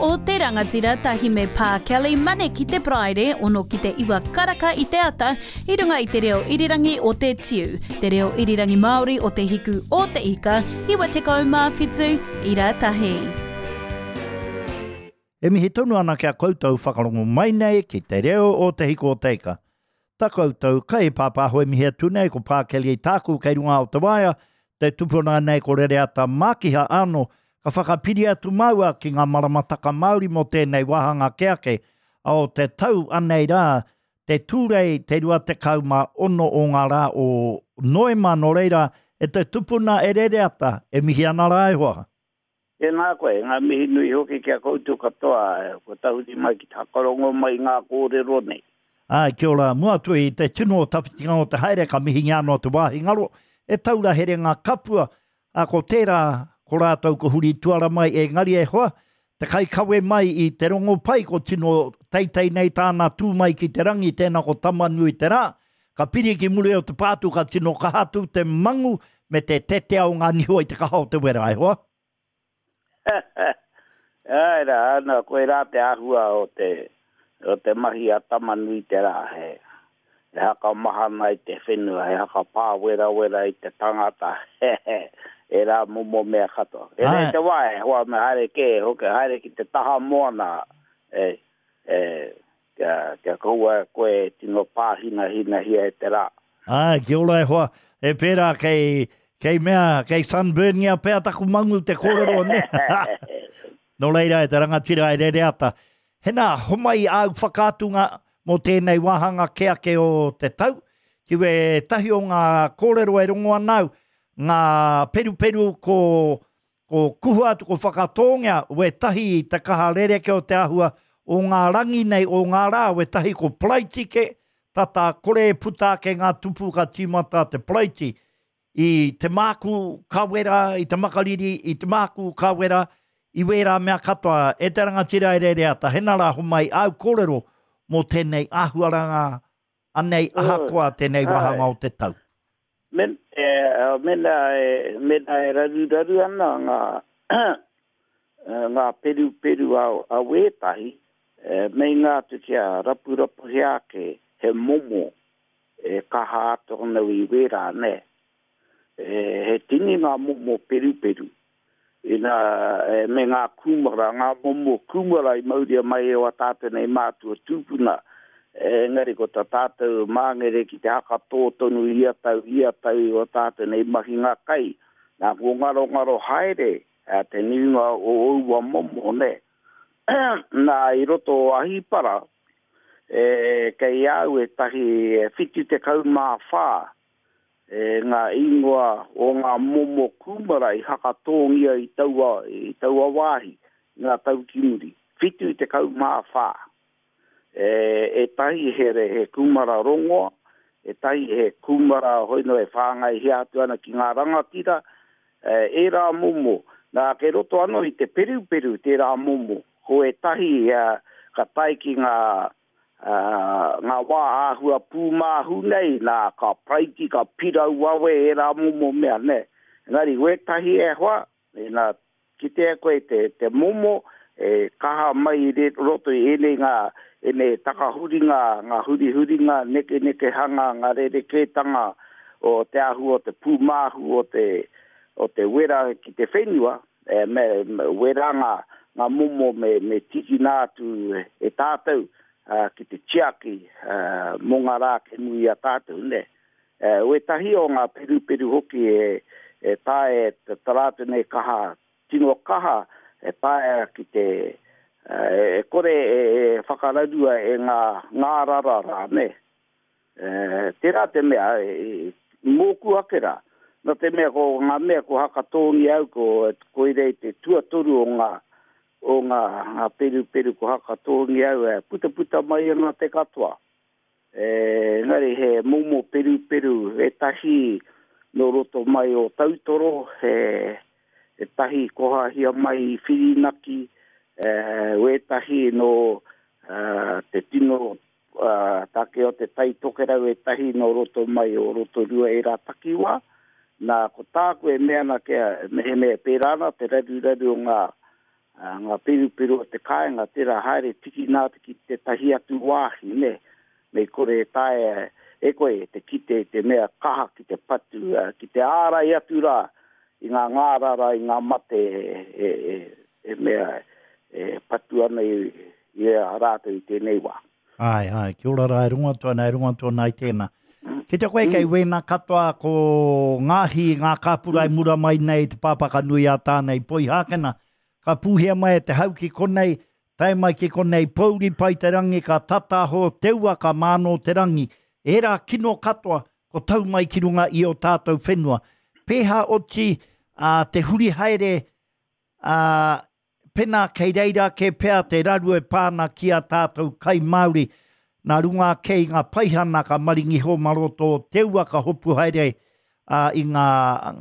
o te Rangatira tahi me Pā Kelly Mane ki te Paraire, ono ki te iwa karaka i te ata, i runga i te reo irirangi o te Tiu, te reo irirangi Māori o Te Hiku o Te Ika, 97 ira tahi. E mihi tonu ana ki a koutou whakarongo mai nei ki te reo o Te Hiku o Te Ika. Ta koutou kai pāpāho e mihi atu nei ko Pā Kelly tāku kei runga o te waea, te tupuna nei ko Rereata Mākiha ano ka whakapiri atu māua ki ngā maramataka Māori mō tēnei wāhanga ke ake o te tau anei rā te Tūrei te 26 o ngā rā o Noema nō reira e te tupuna e Rereata e mihi ana rā e hoa. Tēnā koe, ngā mihi nui hoki ki a koutou katoa kua tahuri mai ki te whakarongo mai i ngā kōrero nei. Āe, kia ora. Mua atu i te tino o tawhitinga o te haere ka mihingia anō te wāhi ngaro e taura herenga kapua, ā, ko tērā, ko rātou ko huri tuara mai, engari e hoa, te kaikawe mai i te rongopai ko tino teitei nei tāna tū mai ki te rangi, tēnā ko Tamanui-te-rā, Ka piri ki muri o te pātū ka tino kaha atu te mangu me te tetea o ngā niho i te kaha o te wera, e hoa. Āe rā, ana, koirā te āhua o te, o te mahi a Tamanui-te-rā, he, he haka mahana i te whenua, he haka pāwerawera i te tangata, ērā momo mea katoa. E rere te wā, e hoa, me haere kē, hoki, haere ki te taha moana, e, e, Kia, kia kaua koe e tino pāhinahinahia e te rā. Āe, kia ora e hoa. E pērā kei, kei mea, kei sunburngia pea taku mangu te kōrero, nē? Nō reira, e te rangatira e Rereata, hena, homai āu whakaatunga mō tēnei wāhanga kē ake o te tau, ki wētahi o ngā kōrero e rongo ana au, ngā peruperu ko Ko kuhua atu, ko whakatōngia wētahi i te kaha rereke o te āhua o ngā rangi nei, o ngā rā, wētahi ko paraiti kē, tata kore e puta ake ngā tupu ka tīmata te paraiti i te mākū ka wera, i te makariri, i te mākū ka wera, i wērā mea katoa. E te rangatira e Rereata, hena rā homai āu kōrero mō tēnei āhuaranga anei ahakoa tēnei wāhanga o te tau. Men, e, mena e, mena e raruraru ana ngā, ngā peruperu a, a wētahi, e, meinga atu kia rapurapuhia ake he momo e kaha atu ana i wērā, nē. E, he tini ngā momo peruperu. Ina, e, me ngā kūmara, ngā momo kūmara i mauria mai e wā tātou nei mātua tūpuna, engari ko tā tātou māngere ki te hakatō tonu ia tau, ia tau i wā tātou nei mahinga kai, nā, kua ngarongaro haere te nuinga o aua momo, nē. Nā, i roto o Ahipara, e, kei a au ētahi 74 E ngā ingoa o ngā momo kūmara i hakatōngia i taua, i taua wāhi i ngā tau ki muri. 74. E, ētahi he, he kūmara rongoa, ētahi he kūmara hoi noa e whāngaihia atu ana ki ngā rangatira, e, ērā momo. Nā, kei roto anō i te peruperu tērā momo. Ko ētahi ka tae ki ngā Ā, ngā wā āhua pūmāhu nei, nā, ka paraiti, ka pirau wawe ērā momo mea, nē. Engari, wētahi e hoa, ina kitea koe te, te momo e kaha mai i roto i ēnei ngā, ēnei takahuringa, ngā hurihuringa, nekenekehanga, ngā rerekētanga o te āhua o te pūmāhu o te, o te wera ki te whenua, E, me, me, wērā ngā, ngā momo me, me tīkina atu e tātou uh, ki te tiaki uh, mō ngā rā kei muri i a tātou, nē. Uh, wētahi o ngā peruperu hoki e, e taea e tā rātou nei kaha, tino kaha e taea ki te, uh, e kore e, e whakararua e ngā ngārara rā, nē. Tērā te mea, mōku ake rā, nā te mea ko ngā mea kua hakatōngia au, ko koirei te tuatoru o ngā, o ngā, ngā peruperu kua hakatōngia au, e putaputa mai ana te katoa. Engari he momo peruperu ētahi nō roto mai o Tautoro, he, ētahi kohahia mai i Whirinaki, wētahi nō te tino ā, take o Te Tai Tokerau ētahi nō roto mai o Rotorua ērā takiwā. Nā, ko tāku e mea ana kia, mehemea e pērā ana te raruraru o ngā, Ngā peruperu o te kāinga, tērā haere tikina atu ki tētahi atu wāhi, nē, mei kore e taea e koe te kite i te mea kaha ki te patu, ki te ārai atu rā i ngā ngārara, i ngā mate e mea e patu ana i a rātou i tēnei wā. Āe, āe, kia ora rā, e rongo atu ana, e rongo atu ana i tēnā. Kite koe kei wēnā katoa ko ngā hī, ngā kāpura e mura mai nei i te pāpaka nui a Tāne i Poihākena, ka pūhia mai e te hau ki konei, tae mai ki konei, pōuri pai te rangi, ka tataho te ua, ka mānō te rangi. Ērā kino katoa, ko tau mai ki runga i ō tātou whenua. Pēhā oti ā, te huri haere ā, Pena kei reira kē pea te raru e pā ana ki a tātou kai Māori, nā runga ake i ngā paihana ka maringi iho mā roto o te ua ka hopu haere i ngā,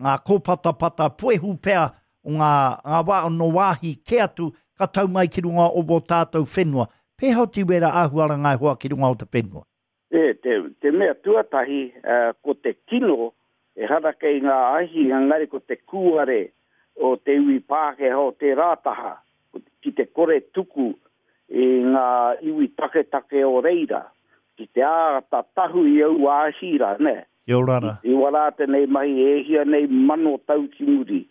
ngā kōpatapata puehu pea o ngā, ngā wā, nō wāhi kē atu ka tau mai ki runga o wō tātou whenua. Pēhea oti wērā āhuaranga e hoa ki runga o te whenua? E, te, te mea tuatahi, ko te kino, ehara kei ngā ahi, engari ko te kūare o te iwi Pākehā o tērā taha, ki te kore tuku i ngā iwi taketake o reira, ki te āta tahu i aua ahi rā, nē. Kia ora rā. I wā rātou nei mahi e hia nei mano tau ki muri.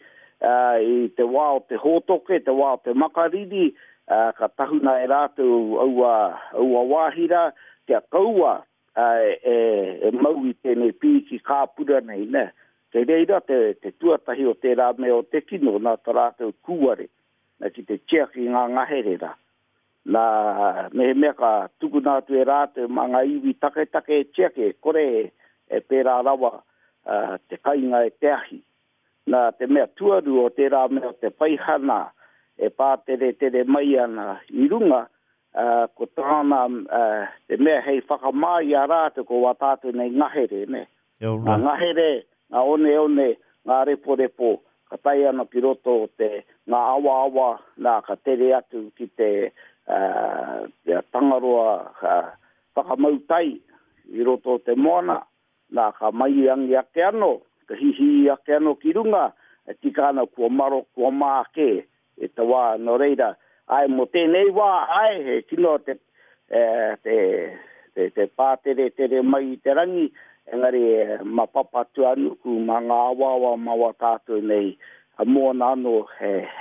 I te wā o te hōtoke, te wā o te makariri, ka tahuna e rātou aua, aua wāhi rā, kia kaua e mau i tēnei pīki kāpura nei, nē. Kei reira te, te tuatahi o tērā mea o te kino nā tā rātou kūare, nā, ki te tiaki i ngā ngahere rā. Nā, mehemea ka tukuna atu e rātou mā ngā iwi taketake e tiaki, e kore e pērā rawa te kainga e te ahi. Nā, te mea tuarua o tērā mea o te paihana e pāteretere mai ana i runga, ko tāna te mea hei whakamā i a rātou ko wā tātou nei ngahere, nē. Ngā ngahere, ngā oneone, ngā reporepo, ka tae ana ki roto o te, ngā awaawa, nā, ka tere atu ki te, te Tangaroa whakamau tai i roto o te moana, nā, ka mairangi ake anō, ka hihī ake anō ki runga, e tika ana kua maro, kua mā kē e te wā, nō reira, āe, mō tēnei wā, āe, he kino te, te, te, te pāteretere mai i te rangi, engari mā Papatūānuku, mā ngā awaawa, mā wā tātou nei moana anō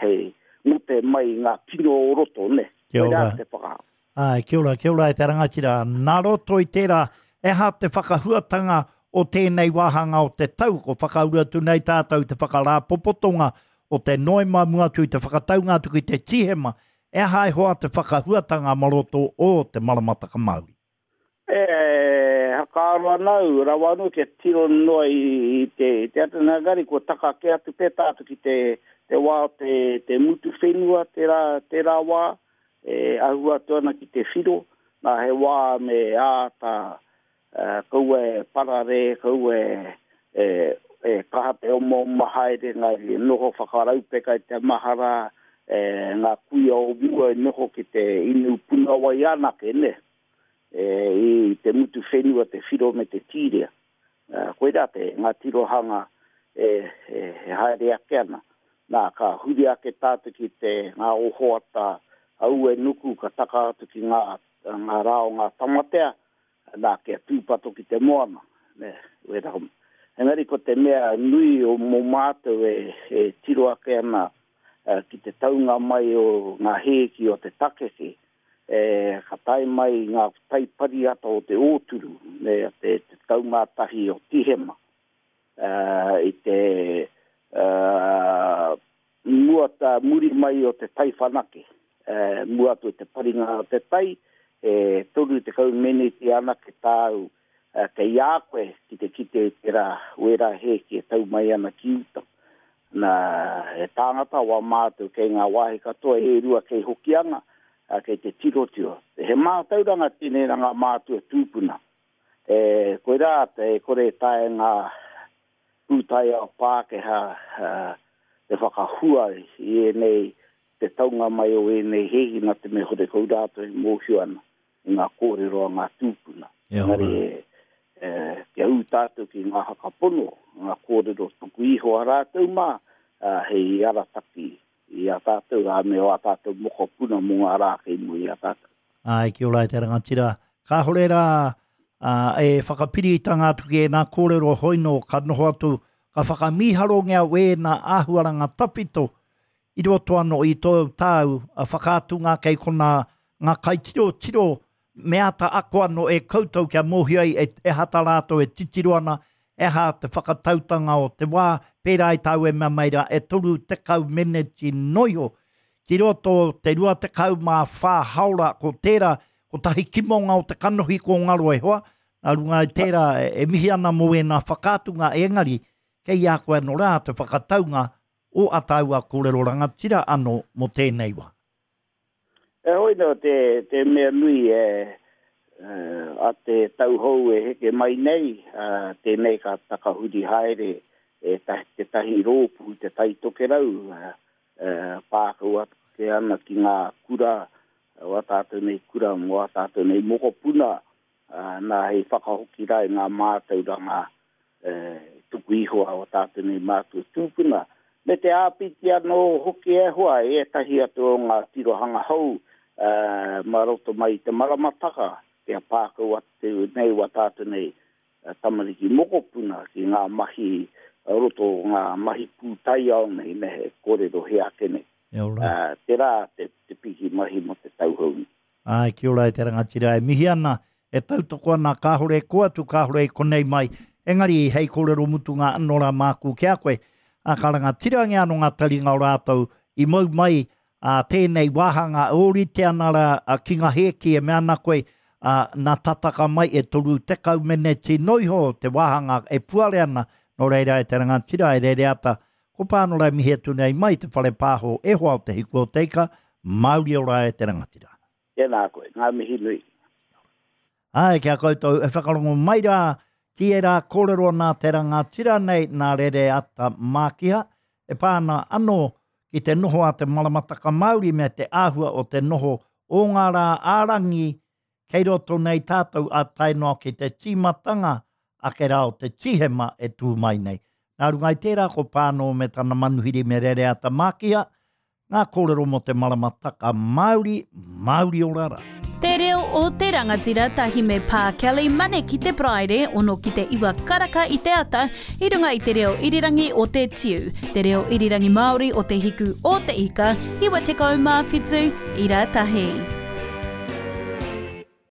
hei ngote mai i ngā kino o roto, nē. Kia ora. Koirā te whakaaro. Āe, kia ora, kia ora e te rangatira. Nā roto i tērā, he aha te whakahuatanga o tēnei wāhanga o te tau? Ko whakauru atu nei tātou i te whakarāpopotonga o te Noema mua atu i te whakataunga atu ki te Tīhema. He aha e hoa te whakahuatanga mā roto o te maramataka Māori? E whakaaro ana au, rawa anō kia tiro noa i te, te ata, engari kua taka kē atu pea tātou ki te, te wā o te, te mutu whenua tērā, tērā wā, e ahu atu ana ki te whiro, nā he wā me āta kaua e pararē, kaua e, e kaha te omaoma haere, engari e noho whakaraupeka i te mahara, e, ngā kuia o mua i noho ki te inu puna wai anake, nē, e, i te mutu whenua, te whiro me te tīrea. Koirā te, ngā tirohanga e, e, e haere ake ana. Nā, ka huri ake tātou ki te, ngā ohoata aue nuku ka taka atu ki ngā, ngā rā o ngā tamatea, nā, kia tūpato ki te moana, nē, wērā. Engari ko te mea nui o mō mātou e, e tiro ake ana ki te taunga mai o ngā hēki o te takeke, e, ka tae mai ngā tai pariata o te ōturu, me te 11 o Tihema, e, i te e, mua ta, muri mai o te tai whanake, e, mua atu i te paringa o te tai, e 30 meneti anake tāu kei a koe ki te kite i tērā wērā hēki e tau mai ana ki uta. Nā, he tāngata wā mātou kei ngā wāhi katoa e rua kei Hokianga, kei te tirotiro. He mātauranga tēnei nā ngā mātua tūpuna. E, koirā, e kore e taea ngā pūtaiao Pākehā te whakahua i ēnei, te taunga mai o ēnei hēki nā te mea horekau rātou e mōhio ana i ngā kōrero a ngā tūpuna. Engari e, kia ū tātou ki ngā whakapono, ngā kōrero tuku iho a rātou mā, hei arataki i a tātou, ā, me ō tātou mokopuna mō ngā rā kei mua i a tātou. Āe, kia ora e te rangatira. Kāhore rā ā, e whakapiritanga atu ki ēnā kōrero hoino ka noho atu, ka whakamīharongia wēnā āhuaranga tawhito i roto anō i tōu tāu whakaatunga kei konā ngā kaitirotiro me āta ako anō e koutou kia mōhio ai e aha tā rātou e titiro ana, e aha te whakatautanga o te wā, pērā i tāu e mea mai rā, e 30 meneti noiho ki roto te 24 haora ko tērā, kotahi kimonga o te kanohi ko ngaro e hoa, nā runga i tērā e mihi ana mō ēnā whakaatunga engari kei a koe anō rā te whakataunga o a tāua kōrero rangatira anō mō tēnei wā. Heoi nō te, te mea nui e, a te tau hou e heke mai nei, tēnei ka takahuri haere e tētahi rōpū Te Tai Tokerau, pā kau ake ana ki ngā kura, o ā tātou nei kura mō ā tātou nei mokopuna, nā hei whakahoki rā i ngā mātauranga tuku iho a ō tātou nei mātua tūpuna, me te āpiti anō hoki e hoa i ētahi atu o ngā tirohanga hou mā roto mai i te maramataka kia pā kau atu nei wā tātou nei tamariki mokopuna ki ngā mahi roto o ngā mahi pūtaiao nei me he kōrero he ake nei. Tērā te piki mahi mō te tau hou nei. Āe, kia ora e te rangatira, e mihi ana, e tautoko ana, kāore e kō atu, kāore i konei mai, engari hei kōrero mutunga anō rā māku ki a koe, ā, ka rangatirangia anō ngā taringa o rātou i mau mai, ā, tēnei wāhanga e ōrite ana rā ki ngā hēki e mea ana koe, ā, nā tataka mai e 30 meneti noiho te wāhanga e puare ana, nō reira e te rangatira, e Rereata, Ko Pānora e mihi atu nei mai te whare pāho e hoa o Te Hiku o Te Ika, Māori ora e te rangatira. Tēnā koe, ngā mihi nui. Āe, ki a koutou e whakarongo mai rā ki ērā kōrero nā te rangatira nei nā Rereata Mākiha, e pā ana anō ki te noho a te maramataka Māori me te āhua o te noho o ngā rā ā-rangi Kei roto nei tātou ā tae noa ki te tīmatanga ake rā o te Tīhema e tū mai nei. Nā runga i tērā ko Pānō me tana manuhiri me Rereata Mākiha ngā kōrero mō te maramataka Māori, Māori ora rā. Te reo o te rangatira tahi me Pā Kelly Mane ki te Paraire ono ki te iwa karaka i te ata i runga i te reo irirangi o te Tiu, te reo irirangi Māori o te hiku o te ika, 97 ira tahi.